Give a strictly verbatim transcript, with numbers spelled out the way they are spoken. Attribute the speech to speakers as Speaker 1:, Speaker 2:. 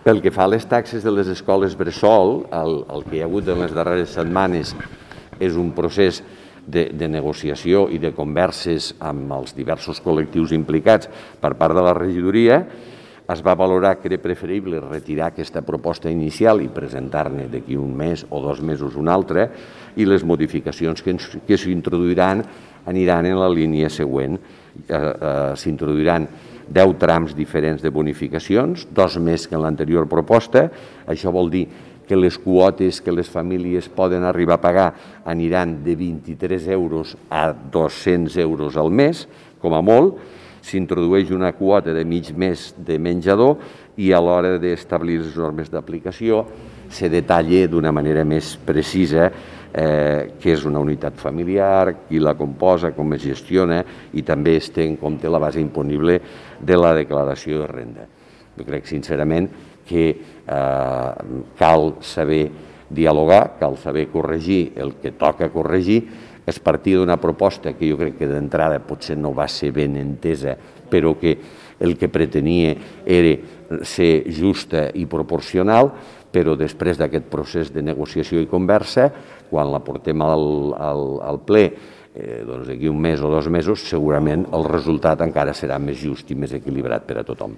Speaker 1: Pel que fa a les taxes de les escoles bressol, el, el que hi ha hagut en les darreres setmanes és un procés de, de negociació i de converses amb els diversos col·lectius implicats per part de la regidoria. Es va valorar que era preferible retirar aquesta proposta inicial i presentar-ne d'aquí un mes o dos mesos una altra, i les modificacions que, que s'introduiran aniran en la línia següent. Eh, eh, S'introduiran deu trams diferents de bonificacions, dos més que en l'anterior proposta. Això vol dir que les quotes que les famílies poden arribar a pagar aniran de vint-i-tres euros a dos-cents euros al mes, com a molt. S'introdueix una quota de mig mes de menjador i a l'hora d'establir les normes d'aplicació se detalla d'una manera més precisa eh, què és una unitat familiar, qui la composa, com es gestiona, i també es té en compte la base imponible de la declaració de renda. Jo crec sincerament que eh, cal saber dialogar, cal saber corregir el que toca corregir. Es partia d'una proposta que jo crec que d'entrada potser no va ser ben entesa, però que el que pretenia era ser justa i proporcional, però després d'aquest procés de negociació i conversa, quan la portem al, al, al ple, eh, doncs d'aquí un mes o dos mesos, segurament el resultat encara serà més just i més equilibrat per a tothom.